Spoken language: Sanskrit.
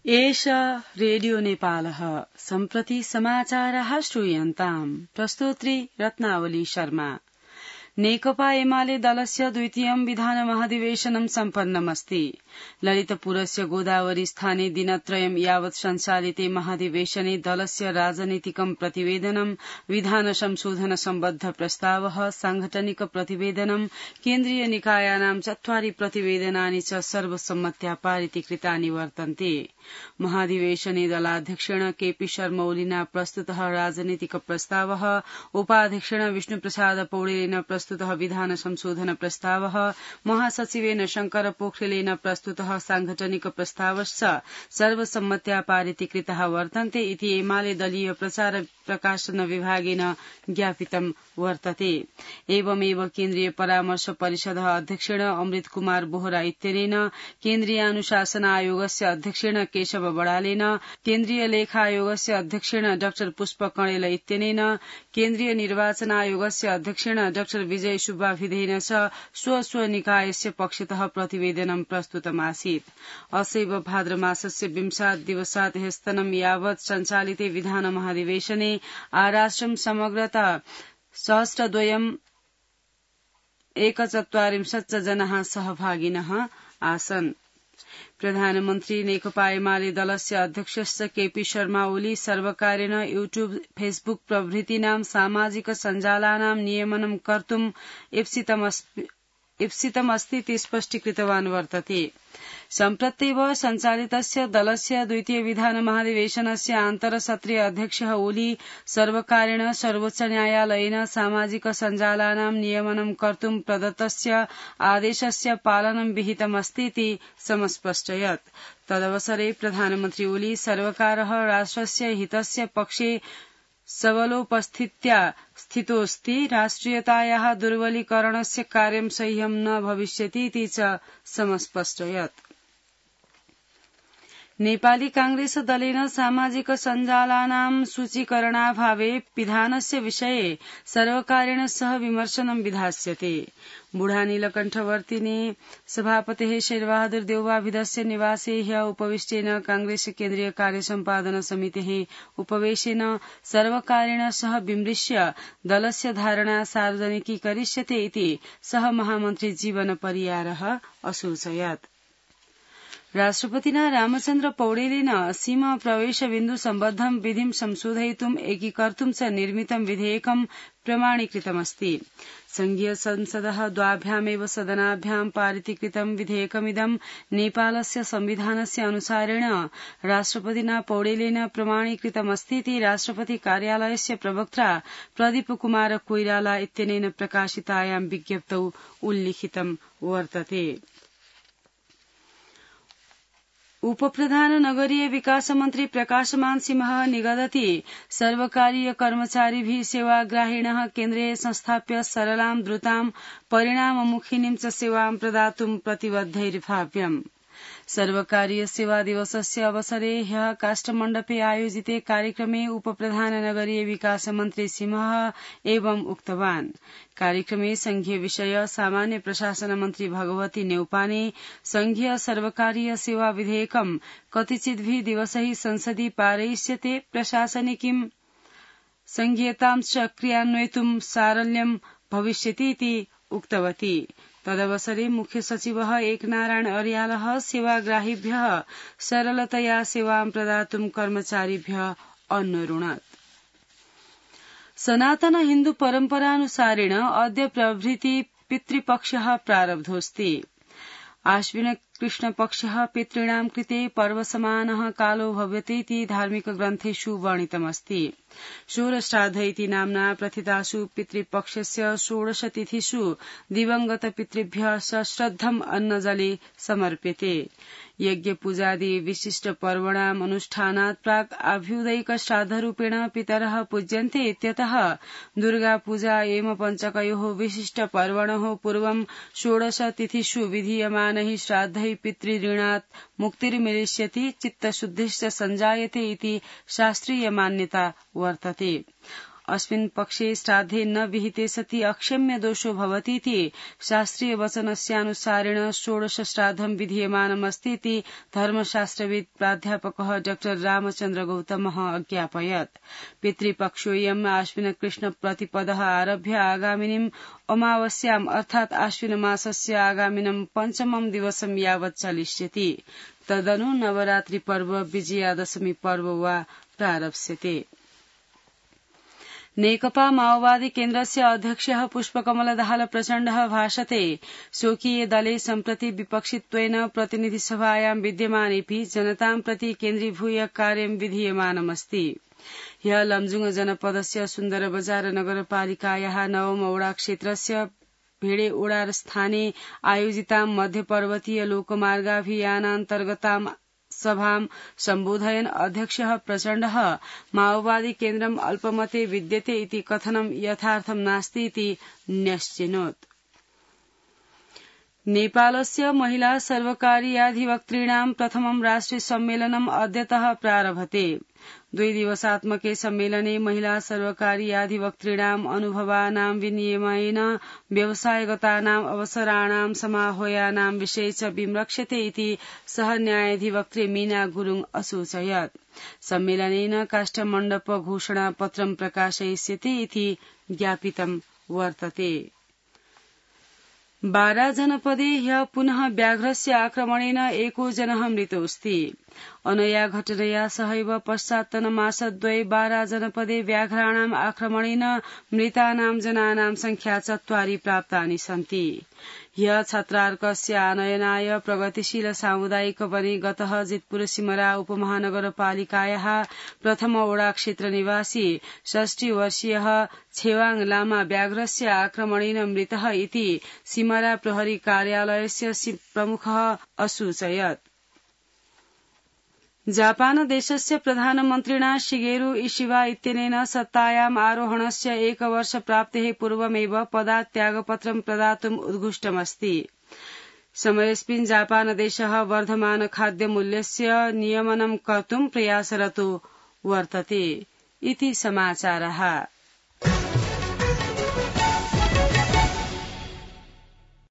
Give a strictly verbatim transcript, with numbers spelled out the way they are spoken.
एष रेडियो नेपालः सम्प्रति समाचारः श्रूयन्ताम् प्रस्तोत्री रत्नावली शर्मा। नेकपा एमाले दलस्य द्वितीयं विधानमहाधिवेशनं सम्पन्नमस्ति। ललितपुरस्य गोदावरी स्थाने दिनत्रयं यावत् सञ्चालिते महाधिवेशने दलस्य राजनीतिकं प्रतिवेदनं, विधान संशोधन सम्बद्ध प्रस्तावः, सांगठनिक प्रतिवेदनं, केन्द्रीय निकायानां चत्वारि प्रतिवेदनानि च सर्वसम्मत्या पारितीकृतानि वर्तन्ते। महाधिवेशने दलाध्यक्षेण केपी शर्मा ओलीना प्रस्तुतः राजनीतिक प्रस्तावः, उपाध्यक्षेण विष्णुप्रसाद पौडेलेन प्रस्तुतः विधान संशोधन प्रस्तावः, महासचिवेन शंकर पोखरेलेन प्रस्तुतः सांगठनिक प्रस्तावश्च सर्वसम्मत्या पारितीकृतः वर्तन्ते इति एमाले दलीय प्रचार प्रकाशन विभागेन ज्ञापितं वर्तते। एवमेव केन्द्रीय परामर्श परिषदः अध्यक्षेण अमृत कुमार बोहरा इत्यनेन, केन्द्रीय अनुशासन आयोगस्य अध्यक्षेण केशव बडालेन, केन्द्रीय लेखा आयोगस्य अध्यक्षेण डाक्टर पुष्प कणेल इत्यनेन, केन्द्रीय निर्वाचन आयोगस्य अध्यक्षेण डाक्टर विजय सुब्बाभिधेन च स्व स्व निकायस्य पक्षतः प्रतिवेदनं प्रस्तुतमासीत्। असैव भाद्रमासस्य विंशात् दिवसात् ह्यस्तनं यावत् सञ्चालिते विधान महाधिवेशने आराष्ट्रं समग्रता सहस्रद्वयम् एकचत्वारिंशत् जनाः सहभागिनः आसन्। प्रधानमन्त्री नेकपा एमाले दलस्य अध्यक्षश्च केपी शर्मा ओली सर्वकारेण यूट्यूब, फेसबुक प्रभृतीनां सामाजिक सञ्जालानां नियमनं कर्तुम् इप्सितमस्ति इति स्पष्टीकृतवान् वर्तते। सम्प्रत्येव सञ्चालितस्य दलस्य द्वितीय विधान महाधिवेशनस्य आन्तरसत्रीय अध्यक्षः ओली सर्वकारेण सर्वोच्च न्यायालयेन सामाजिक सञ्जालानां नियमनं कर्तुं प्रदत्तस्य आदेशस्य पालनं विहितमस्ति इति समस्पष्टयत्। तदवसरे प्रधानमन्त्री ओली सर्वकारः राष्ट्रस्य हितस्य पक्षे सबलोपस्थित्या स्थितोऽस्ति, राष्ट्रियतायाः दुर्बलीकरणस्य कार्यं सह्यं न भविष्यति इति च समस्पष्टयत्। नेपाली कांग्रेस दलेन सामाजिक सञ्जालानां सूचीकरणाभावे विधानस्य विषये सर्वकारेण सह विमर्शनं विधास्यते। बुढानीलकण्ठवर्तिने सभापतेः शेरबहादुर देउवाभिधस्य निवासे ह्य उपविष्टेन कांग्रेस केन्द्रीय कार्यसम्पादन समितेः उपवेशेन सर्वकारेण सह विमृश्य दलस्य धारणा सार्वजनिकीकरिष्यते इति सह महामन्त्री जीवन परियारः असूचयत्। राष्ट्रपतिना रामचन्द्र पौडेलेन सीमा प्रवेश बिन्दु सम्बद्धं विधिं संशोधयितुम् एकीकर्तुं च निर्मितं विधेयकं प्रमाणीकृतमस्ति। संघीय संसदः द्वाभ्यामेव सदनाभ्यां पारितीकृतं विधेयकमिदं नेपालस्य संविधानस्य अनुसारेण राष्ट्रपतिना पौडेलेन प्रमाणीकृतमस्ति इति राष्ट्रपति कार्यालयस्य प्रवक्ता प्रदीप कुमार कोइराला इत्यनेन प्रकाशितायां विज्ञप्तौ उल्लिखितं वर्तते। उपप्रधान नगरीय विकास मन्त्री प्रकाशमान सिंहः निगदति सर्वकारीय कर्मचारिभिः सेवाग्राहिणः केन्द्रे संस्थाप्य सरलां द्रुतां परिणाममुखिनीं च सेवां प्रदातुं प्रतिबद्धैर्भाव्यम्। सर्वकारीय सेवा दिवसस्य अवसरे ह्यः काष्ठमण्डपे आयोजिते कार्यक्रमे उपप्रधान नगरीय विकास मन्त्री सिंहः एवं उक्तवान्। कार्यक्रमे संघीय विषय सामान्य प्रशासन मन्त्री भगवती नेउपाने संघीय सर्वकारीय सेवा विधेयकं कतिचिद्भिः दिवसैः संसदि पारयिष्यते, प्रशासनिकीं संघीयतां च क्रियान्वयितुं सारल्यं भविष्यति इति उक्तवती। तदवसरे मुख्य सचिवः एकनारायण अर्यालः सेवाग्राहिभ्यः सरलतया सेवां प्रदातुं कर्मचारिभ्यः अन्वरुणत्। सनातन हिन्दू परम्परानुसारेण अद्य प्रभृति पितृपक्षः प्रारब्धोऽस्ति। आश्विन कृष्णपक्षः पितॄणां कृते पर्वसमानः कालो भवति इति धार्मिक ग्रन्थेषु वर्णितमस्ति। षोडश्राद्ध इति नाम्ना प्रथितासु पितृपक्षस्य षोडशतिथिषु दिवंगत पितृभ्यः सश्रद्धम् अन्नजले समर्प्यते। यज्ञ पूजादि विशिष्ट पर्वणाम् अनुष्ठानात् प्राक् आभ्युदयिक श्राद्धरूपेण पितरः पूज्यन्ते इत्यतः दुर्गा पूजा एवं पञ्चकयोः विशिष्ट पर्वणः पूर्वं षोडश तिथिषु विधीयमानैः श्राद्धैः पितृऋणात् मुक्तिर्मिलिष्यति, चित्तशुद्धिश्च सञ्जायते इति शास्त्रीय मान्यता वर्तते। अस्मिन् पक्षे श्राद्धे न विहिते सति अक्षम्य दोषो भवतीति शास्त्रीय वचनस्यानुसारेण षोडश श्राद्धं विधीयमानमस्तीति धर्मशास्त्रविद् प्राध्यापकः डॉक्टर रामचन्द्र गौतमः अज्ञापयत्। पितृपक्षोऽयम् आश्विन कृष्ण प्रतिपदः आरभ्य आगामिनीम् अमावस्याम् अर्थात् आश्विन मासस्य आगामिनं पञ्चमं दिवसं यावत् चलिष्यति। तदनु नवरात्रि पर्व विजयादशमी पर्व वा प्रारप्स्यते। नेकपा माओवादी केन्द्रस्य अध्यक्षः पुष्पकमलदाहाल प्रचण्डः भाषते स्वकीये दले सम्प्रति विपक्षित्वेन प्रतिनिधिसभायां विद्यमानेऽपि जनतां प्रति केन्द्रीभूय कार्यं विधीयमानमस्ति। ह्यः लमजुङ जनपदस्य सुन्दरबजार नगरपालिकायाः नवमओडा क्षेत्रस्य भेडे ओडार स्थाने आयोजितां मध्यपर्वतीय लोकमार्गाभियानान्तर्गतां सभां सम्बोधयन् अध्यक्षः प्रचण्डः माओवादी केन्द्रम् अल्पमते विद्यते इति कथनं यथार्थं नास्ति इति न्यश्चिनोत्। नेपालस्य महिला सर्वकारीयाधिवक्तॄणां प्रथमं राष्ट्रिय सम्मेलनम् अद्यतः प्रारभते। द्विदिवसात्मके सम्मेलने महिला सर्वकारीयाधिवक्तॄणाम् अनुभवानां विनिमयेन व्यवसायगतानाम् अवसराणां समाह्वयानां विषये च विमृक्ष्यते इति सह न्यायाधिवक्त्री मीना गुरुङ असूचयत्। सम्मेलनेन काष्ठमण्डप घोषणापत्रं प्रकाशयिष्यते इति ज्ञापितं वर्तते। बारा जनपदे ह्यः पुनः व्याघ्रस्य आक्रमणेन एको जनः मृतोऽस्ति। अनया घटनया सहैव पश्चात्तनमासद्वये बारा जनपदे व्याघ्राणाम् आक्रमणेन मृतानां जनानां संख्या चत्वारि प्राप्तानि सन्ति। ह्यः छत्रार्कस्य आनयनाय प्रगतिशील सामुदायिक वने गतः जितपुर सिमरा उपमहानगरपालिकायाः प्रथम ओडा क्षेत्र निवासी षष्टि वर्षीयः छेवाङ लामा व्याघ्रस्य आक्रमणेन मृतः इति सिमरा प्रहरी कार्यालयस्य प्रमुखः असूचयत्। जापान देशस्य प्रधानमन्त्रिणा शिगेरु इशिबा इत्यनेन सत्तायाम् आरोहणस्य एकवर्ष प्राप्तेः पूर्वमेव पदात् त्यागपत्रं प्रदातुम् उद्घुष्टमस्ति। समयेऽस्मिन् जापान देशः वर्धमान खाद्यमूल्यस्य नियमनं कर्तुं प्रयासरतो वर्तते इति समाचारः।